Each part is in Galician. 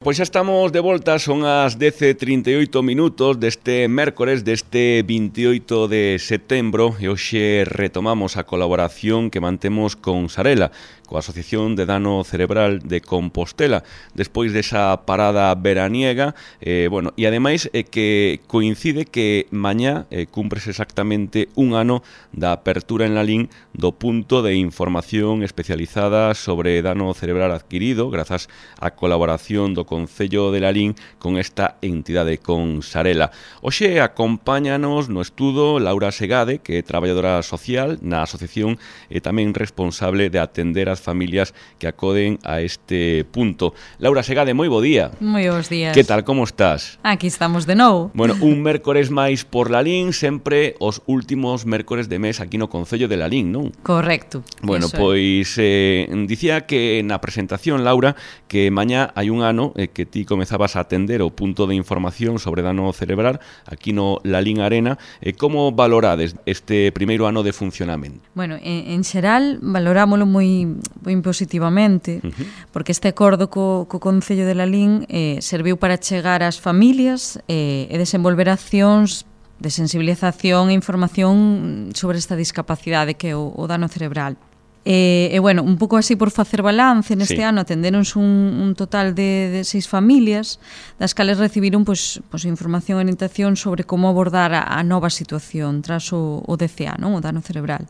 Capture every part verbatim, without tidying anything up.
Pois xa estamos de volta, son as dez e trinta e oito minutos deste mércores, deste vinte e oito de setembro, e hoxe retomamos a colaboración que mantemos con Sarela, coa Asociación de Dano Cerebral de Compostela, despois desa parada veraniega, eh, bueno, e ademais eh, que coincide que mañá eh, cumpres exactamente un ano da apertura en Lalín do punto de información especializada sobre dano cerebral adquirido, grazas á colaboración do Concello de Lalín con esta entidade, con Sarela. Hoxe acompáñanos no estudo Laura Segade, que é traballadora social na asociación e tamén responsable de atender as familias que acoden a este punto. Laura Segade, moi bo día. Moi bons días. Que tal, como estás? Aquí estamos de novo. Bueno, un mércores máis por Lalín, sempre os últimos mércores de mes aquí no Concello de Lalín, non? Correcto. Bueno, pois eh, dicía que na presentación, Laura, que mañá hai un ano eh, que ti comezabas a atender o punto de información sobre dano cerebral aquí no Lalín Arena. Eh, como valorades este primeiro ano de funcionamento? Bueno, en, en xeral valorámoslo moi, moi positivamente, uh-huh. porque este acordo co, co Concello de Lalín eh, serviu para chegar ás familias eh, e desenvolver accións de sensibilización e información sobre esta discapacidade que é o, o dano cerebral. E, e bueno, un pouco así por facer balance, neste sí. ano atendéronse un, un total de, de seis familias, das cales recibiron pois, pois, información e orientación sobre como abordar a, a nova situación tras o, o D C A, non? O dano cerebral.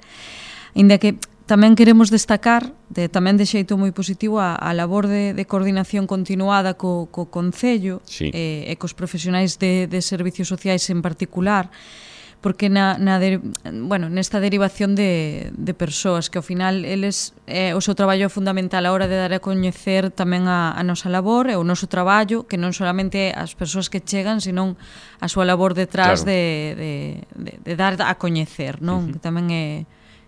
Ainda que tamén queremos destacar, de, tamén de xeito moi positivo, a, a labor de, de coordinación continuada co, co Concello sí. e, e cos profesionais de, de servicios sociais en particular, porque na, na de, bueno, nesta derivación de, de persoas que ao final eles, eh, o seu traballo é fundamental a hora de dar a coñecer tamén a, a nosa labor e o noso traballo, que non solamente as persoas que chegan, senón a súa labor detrás claro. de, de, de, de dar a coñecer, non? Uh-huh. Que tamén é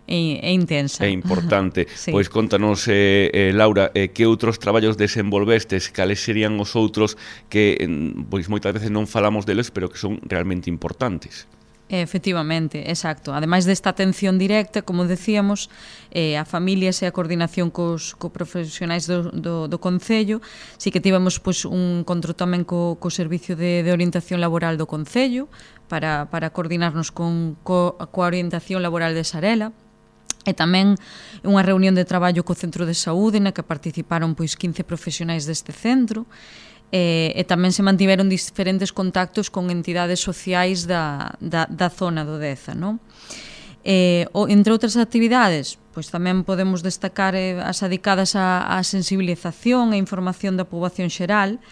É, é intensa. É importante. Sí. Pois contanos, eh, eh, Laura, eh, que outros traballos desenvolvestes, cales serían os outros que pois moitas veces non falamos deles, pero que son realmente importantes. Efectivamente, exacto. Ademais desta atención directa, como decíamos, eh, a familias e a coordinación cos, co profesionais do, do, do Concello, si que tivemos pois, un encontro tamén co, co Servicio de, de Orientación Laboral do Concello para, para coordinarnos con, co, coa orientación laboral de Sarela. E tamén unha reunión de traballo co Centro de Saúde na que participaron pois quince profesionais deste centro e, e tamén se mantiveron diferentes contactos con entidades sociais da, da, da zona do Deza, non? E, o, entre outras actividades, pois tamén podemos destacar eh, as dedicadas á, á sensibilización e información da poboación xeral.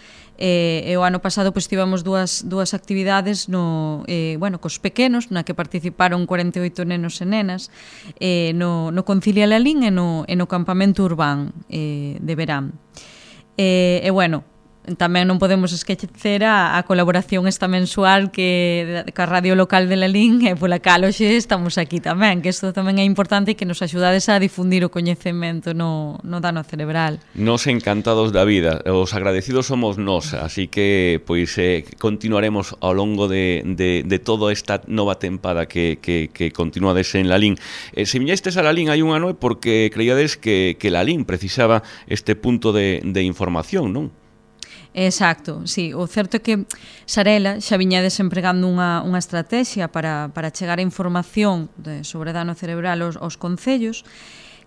E, e o ano pasado pois tivemos dúas, dúas actividades no, eh, bueno, cos pequenos, na que participaron cuarenta e oito nenos e nenas eh, no, no Concilia Lalín e no, e no campamento urbán eh, de verán. E, e bueno, tamén non podemos esquecer a, a colaboración esta mensual que ca radio local de Lalín e pola cal hoxe estamos aquí tamén, que isto tamén é importante e que nos axudades a difundir o coñecemento no, no dano cerebral. Nos encantados da vida, os agradecidos somos nós, así que pois eh, continuaremos ao longo de, de, de toda esta nova tempada que, que, que continuades en Lalín. Eh, se viñestes a Lalín hai un ano é porque creíades que, que Lalín precisaba este punto de, de información, non? Exacto, sí. O certo é que Sarela xa viña desempregando unha, unha estrategia para, para chegar a información de, sobre dano cerebral aos, aos concellos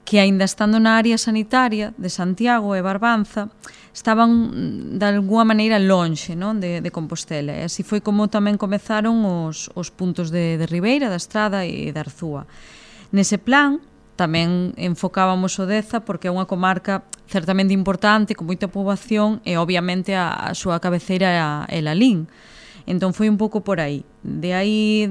que, aínda estando na área sanitaria de Santiago e Barbanza, estaban de alguma maneira lonxe, non? De, de Compostela. E así foi como tamén comezaron os, os puntos de, de Ribeira, da Estrada e de Arzúa. Nese plan, tamén enfocábamos o Deza porque é unha comarca certamente importante, con moita poboación e obviamente a, a súa cabeceira é Lalín. Entón foi un pouco por aí. De aí,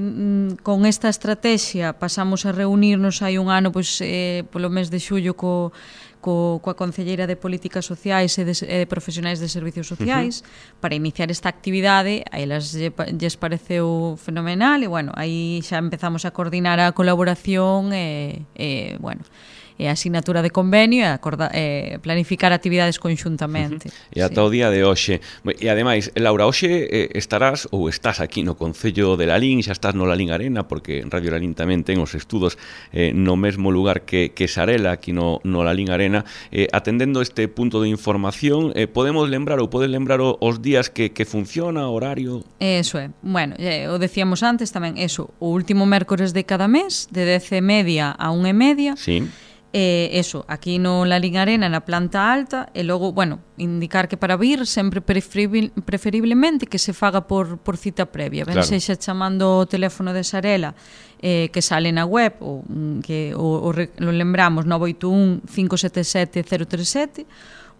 con esta estrategia, pasamos a reunirnos hai un ano, pois, eh, polo mes de xullo co, co, coa Concelleira de Políticas Sociais e de, e de Profesionais de Servicios Sociais uh-huh. para iniciar esta actividade. A elas lles pareceu fenomenal e, bueno, aí xa empezamos a coordinar a colaboración e, e bueno, e a asignatura de convenio e, acorda, e planificar actividades conxuntamente. Uh-huh. E ata sí. o día de hoxe. E ademais, Laura, hoxe eh, estarás ou estás aquí no Concello de Lalín, xa estás no Lalín Arena, porque Radio Lalín tamén ten os estudos eh, no mesmo lugar que, que Sarela, aquí no, no Lalín Arena, eh, atendendo este punto de información. Eh, podemos lembrar ou podes lembrar o, os días que, que funciona, horario? Eso é. Bueno, eh, o decíamos antes tamén, eso, o último mércores de cada mes, de dez e media a unha e media. Sí. Eh, eso, aquí no Lalín Arena, na planta alta, e logo, bueno, indicar que para vir sempre preferibil, preferiblemente que se faga por, por cita previa, ben claro. Sexa chamando o teléfono de Sarela eh, que sale na web, ou que o, o, o lembramos nove oito un, cinco sete sete, cero tres sete,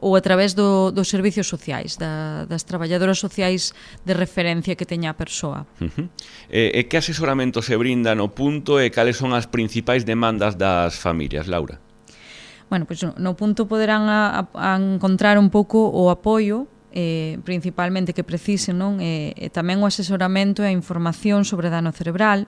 ou a través do, dos servicios sociais, da, das traballadoras sociais de referencia que teña a persoa. Uh-huh. E, e que asesoramento se brinda no punto e cales son as principais demandas das familias, Laura? Bueno, pois pues no punto poderán a, a encontrar un pouco o apoio eh, principalmente que precisen, non? E, e tamén o asesoramento e a información sobre dano cerebral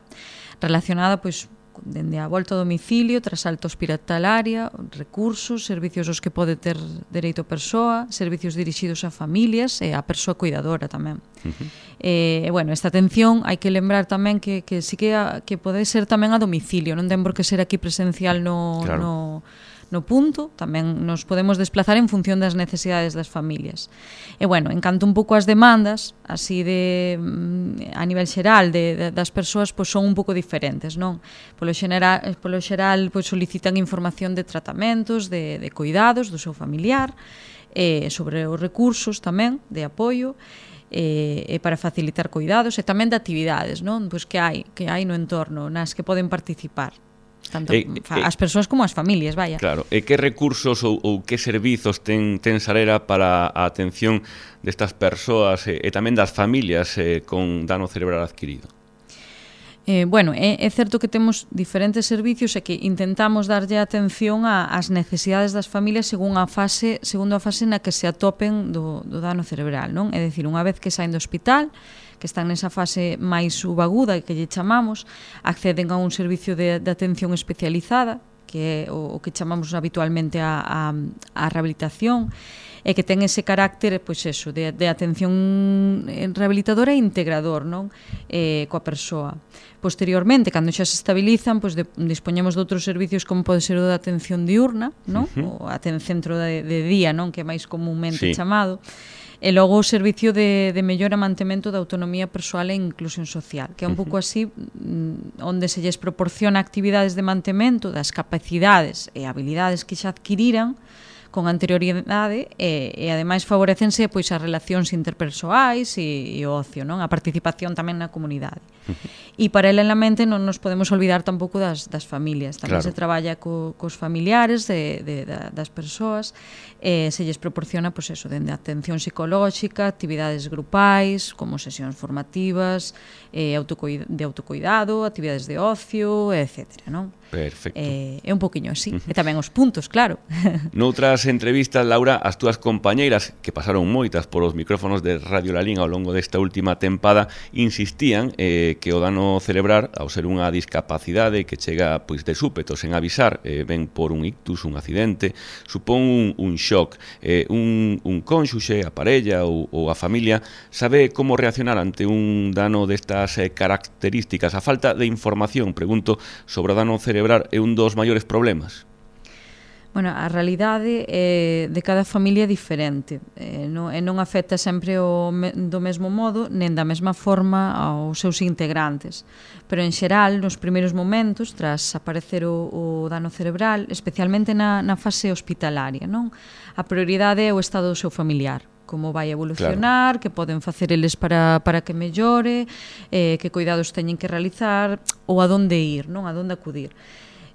relacionada pois dende a volta ao domicilio, tras alta hospitalaria, recursos, servicios aos que pode ter dereito a persoa, servicios dirixidos a familias e a persoa cuidadora tamén. Uh-huh. E, bueno, esta atención hai que lembrar tamén que, que sí que, a, que pode ser tamén a domicilio, non ten por que ser aquí presencial no... Claro. no no punto, tamén nos podemos desplazar en función das necesidades das familias. E, bueno, en canto un pouco as demandas, así de a nivel xeral de, de, das persoas, pois son un pouco diferentes, non? Polo xeral, polo xeral pois solicitan información de tratamentos, de, de cuidados do seu familiar, e sobre os recursos tamén, de apoio, e, e para facilitar cuidados, e tamén de actividades, non? Pois que hai, que hai no entorno, nas que poden participar. Tanto e, as persoas como as familias, vaya. Claro, e que recursos ou, ou que servizos ten, ten Sarela para a atención destas persoas e, e tamén das familias eh, con dano cerebral adquirido? Eh, bueno, é, é certo que temos diferentes servicios e que intentamos darlle atención ás necesidades das familias según a fase, segundo a fase na que se atopen do, do dano cerebral, non? É dicir, unha vez que saen do hospital, que están nesa fase máis subaguda que lle chamamos, acceden a un servicio de, de atención especializada, que é o, o que chamamos habitualmente a, a, a rehabilitación, e que ten ese carácter, pois eso, de, de atención rehabilitadora e integrador, non? Eh, coa persoa. Posteriormente, cando xa se estabilizan, pois de, dispoñemos de outros servicios como pode ser o de atención diurna, non? Uh-huh. O aten centro de, de día, non? Que é máis comúnmente sí. chamado. E logo o servicio de, de mellora e mantemento da autonomía persoal e inclusión social, que é un pouco así onde se lles proporciona actividades de mantemento das capacidades e habilidades que xa adquiriran con anterioridade e, e ademais favorecense pois as relacións interpersoais e, e o ocio, non? A participación tamén na comunidade. E paralelamente non nos podemos olvidar tampouco das, das familias. Tamén claro. Se traballa co, cos familiares de, de, de, das persoas e se lles proporciona pois eso, dende atención psicolóxica, actividades grupais, como sesións formativas, eh, autocuida, de autocuidado, actividades de ocio, etcétera, non? Perfecto. Eh, é un poquinho así. Uh-huh. E tamén os puntos, claro. Noutras entrevistas, Laura, as túas compañeiras, que pasaron moitas por os micrófonos de Radio Lalín ao longo desta última tempada, insistían eh, que o dano cerebral, ao ser unha discapacidade que chega pois de súpeto, sen avisar, eh, ven por un ictus, un accidente, supón un, un shock. Eh, un, un cónxuxe, a parella ou, ou a familia sabe como reaccionar ante un dano destas eh, características. A falta de información, pregunto, sobre o dano cerebral é un dos maiores problemas? Bueno, a realidade é de cada familia é diferente e non, e non afecta sempre o, do mesmo modo nen da mesma forma aos seus integrantes, pero en xeral nos primeiros momentos tras aparecer o, o dano cerebral, especialmente na, na fase hospitalaria, non? A prioridade é o estado do seu familiar, como vai evolucionar, claro. Que poden facer eles para, para que mellore, eh, que cuidados teñen que realizar ou a donde ir, non? A donde acudir.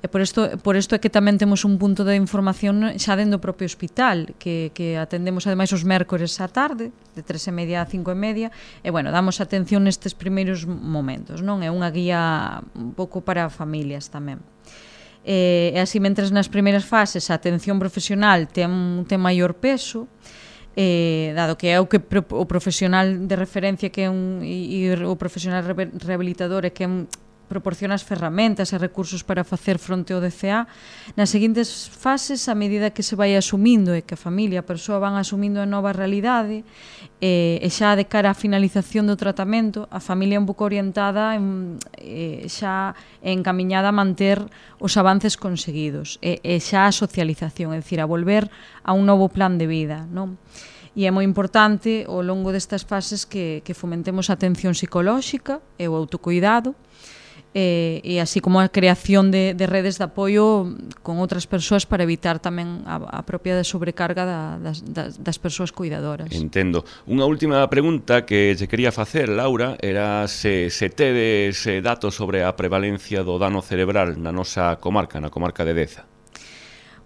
E por isto, por isto é que tamén temos un punto de información xa dentro do propio hospital, que, que atendemos ademais os mércores á tarde, de tres e media a cinco e media, e bueno, damos atención nestes primeiros momentos, non? É unha guía un pouco para familias tamén. E, e así, mentres nas primeiras fases a atención profesional ten, ten maior peso, eh, dado que é o que o profesional de referencia que é un, e, e o profesional rehabilitador é que é un proporciona as ferramentas e recursos para facer fronte ao D C A. Nas seguintes fases, a medida que se vai asumindo e que a familia, a persoa van asumindo a nova realidade, e, e xa de cara á finalización do tratamento, a familia é un pouco orientada en, e, xa encamiñada a manter os avances conseguidos e, e xa a socialización, é dicir, a volver a un novo plan de vida, non? E é moi importante ao longo destas fases que, que fomentemos a atención psicolóxica e o autocuidado, e, e así como a creación de, de redes de apoio con outras persoas para evitar tamén a, a propia sobrecarga da, das, das, das persoas cuidadoras. Entendo. Unha última pregunta que te quería facer, Laura, era se, se tedes datos sobre a prevalencia do dano cerebral na nosa comarca, na comarca de Deza.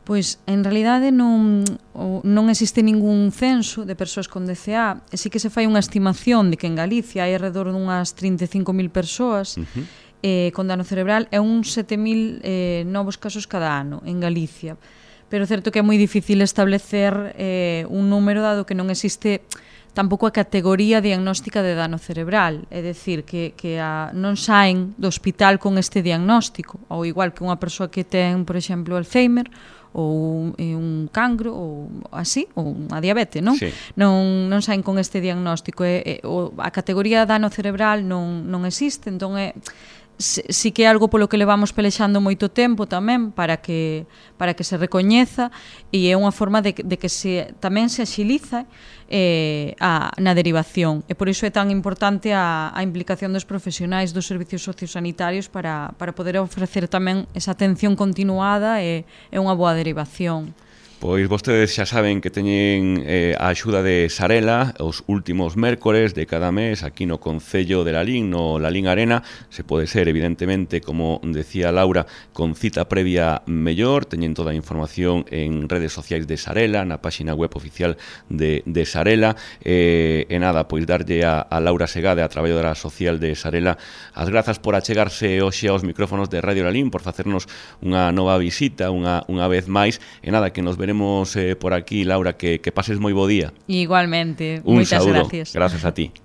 Pois, en realidade, non, non existe ningún censo de persoas con D C A, e sí que se fai unha estimación de que en Galicia hai alrededor dunhas trinta e cinco mil persoas uh-huh. eh, con dano cerebral e uns sete mil eh, novos casos cada ano en Galicia. Pero é certo que é moi difícil establecer eh, un número dado que non existe tampouco a categoría diagnóstica de dano cerebral, é dicir, que, que a, non saen do hospital con este diagnóstico, ou igual que unha persoa que ten, por exemplo, Alzheimer, ou un cancro, ou así, ou unha diabetes, non? Sí. Non, non saen con este diagnóstico. E, e, o, a categoría dano cerebral non, non existe, entón é... Si que é algo polo que levamos pelexando moito tempo tamén para que para que se recoñeza, e é unha forma de, de que se, tamén se axiliza eh, a, na derivación, e por iso é tan importante a, a implicación dos profesionais dos servicios sociosanitarios para, para poder ofrecer tamén esa atención continuada e, e unha boa derivación. Pois vostedes xa saben que teñen eh, a axuda de Sarela os últimos mércores de cada mes aquí no Concello de Lalín, no Lalín Arena. Se pode ser, evidentemente, como decía Laura, con cita previa mellor. Teñen toda a información en redes sociais de Sarela, na páxina web oficial de, de Sarela. Eh, e nada, pois darlle a, a Laura Segade, a traballadora social de Sarela, as grazas por achegarse hoxe aos micrófonos de Radio Lalín, por facernos unha nova visita, unha, unha vez máis. E nada, que nos veremos Eh, por aquí, Laura, que, que pases moi bo día. Igualmente, un moitas saúdo. gracias. Gracias a ti.